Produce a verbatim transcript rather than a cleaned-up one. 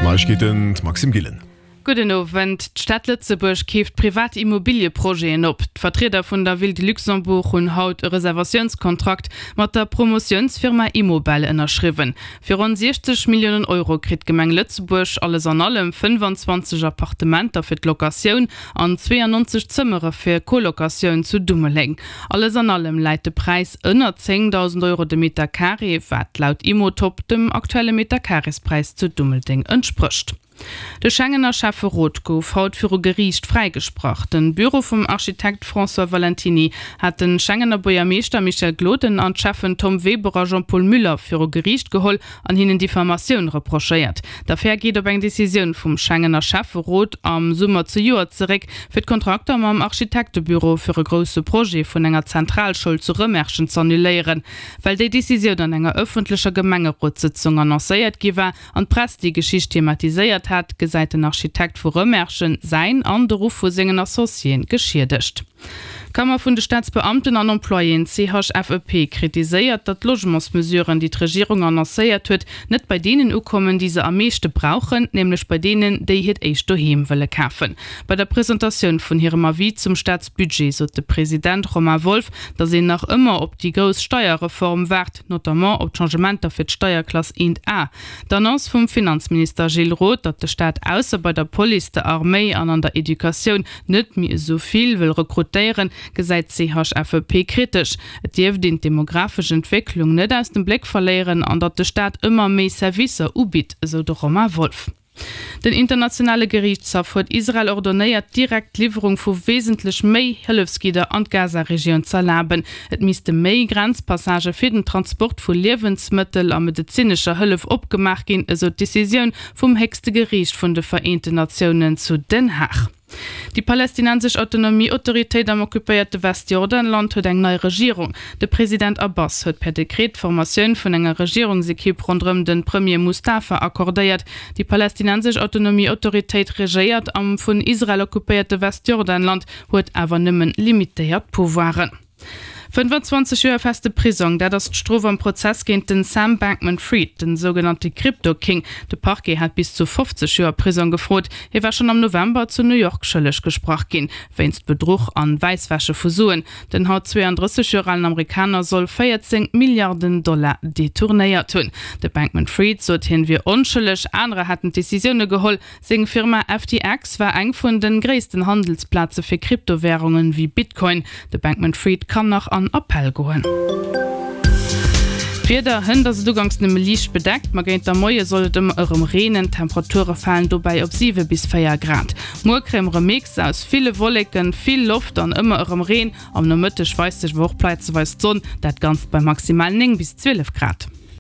Neiegkeeten, d'Maxime Gillen. Gudden Owend. D'Stad Lëtzebuerg keeft privat Immobilieprojeten op. D'Vertrieder vun der Ville de Luxembourg hunn haut e Reservatiounskontrakt mat der Promotiounsfirma Immobel ënnerschriwwen. Fir ronn siechzeg Milliounen Euro kritt d'Gemeng Lëtzebuerg alles an allem fënnfanzwanzeg Appartementer fir d'Locatioun an zweeanonzeg Zëmmere fir Colocatioun zu Dummeldeng. Alles an allem läit de Präis ënner zéngdausend Euro de Meter Carré, wat laut Immotop dem aktuelle Metercarréspräis zu Dummeldeng entsprécht. De Schengener Schäfferot gouf haut viru Geriicht fräigesprach. Den Büro vum Architekt François Valentiny hat de Schengener Buergermeeschter Michel Gloden an d'Schäffen Tom Weber a Jean-Paul Muller viru Geriicht geholl an hinnen Diffamatioun reprochéiert. D'Affär geet op eng Decisioun vum Schengener Schäfferot am Summer zejoert zeréck, fir d'Kontrakter mam Architektebüro fir e grousse Projet vun enger Zentralschoul zu Rëmerschen z'annuléieren. Well déi Decisioun an enger ëffentlecher Gemengerotssëtzung annoncéiert gi war an d'Press déi Geschicht thematiséiert hat, gesäit den Architekt vu Rëmerschen säin an de Ruff vu sengen Associéen geschiedegt. D'Kammer vun de Staatsbeamten an Employéen, C H F E P, kritiséiert, datt d'Logementsmesuren, déi d'Regierung annoncéiert huet, net bei deenen ukommen, déi se am meeschte brauchen, nämlech bei deenen, déi hiert éischt Doheem wëlle kafen. Bei der Presentatioun vun hirem Avis zum Staatsbudget sot de President Romain Wolff, datt een nach ëmmer op déi grouss Steierreform waart, notamment op d'Changementer fir d'Steierklass eent A. D'Annonce vum Finanzminister Gilles Roth, datt de Staat ausser bei der Police, der Arméi an an der Educatioun net méi esou vill wëll rekrutéieren, gesäit d'C H F E P kritesch. Et dierft een d'demografesch Entwécklung net aus dem Bléck verléieren an datt de Staat ëmmer méi Servicer ubitt, esou de Romain Wolff. Den internationale Geriichtshaff huet Israel ordonéiert, direkt d'Liwwerung vu wesentlech méi Hëllefsgidder an d'Gaza-Regioun z'erlaben. Et misste méi Grenzpassagë fir den Transport vu Liewensmëttel a medezinescher Hëllef opgemaach ginn, esou d'Decisioun vum héchste Geriicht vun de Vereenten Natiounen zu Den Haag. Déi palästinensesch Autonomie-Autoritéit am occupéierte Westjordanland huet eng nei Regierung. De President Abbas huet per Dekret d'Formatioun vun enger Regierungsekipp ronderëm de Premier Mustafa accordéiert. Déi palästinensesch Autonomie-Autoritéit regéiert am vun Israel occupéierte Westjordanland, huet awer nëmmen limitéiert Pouvoiren. fënnefanzwanzeg Joer feste Prisong, dat ass d'Strof am Prozess géint den Sam Bankman-Fried, den sougenannte Crypto-King. De Parquet hat bis zu fofzeg Joer Prisong gefrot. Hie war schonn am November zu New York schëlleg gesprach ginn, wéinst Bedruch an Wäisswäsche vu Suen. Den haut zweeandrësseg Joer alen Amerikaner soll véierzéng Milliarden Dollar detournéiert hunn. De Bankman-Fried sot, hien wier onschëlleg, anerer hätten d'Decisioune geholl. Seng Firma F T X war eng vun de gréissten Handelsplaze fir Kryptowärungen wéi Bitcoin. De Bankman-Fried kann nach an Appell goen. D'Wieder, Hënt ass et uganks nëmme liicht bedeckt, ma géint der Moie soll et ëmmer erëm reenen. D'Temperature falen dobäi op siwe bis véier Grad. Muer kréie mer e Mix aus ville Wolleken, vill Loft an ëmmer erëm Reen. Am Nomëtteg weist sech awer och plazeweis d'Sonn, dat Ganzt bei maximal néng bis zwielef Grad.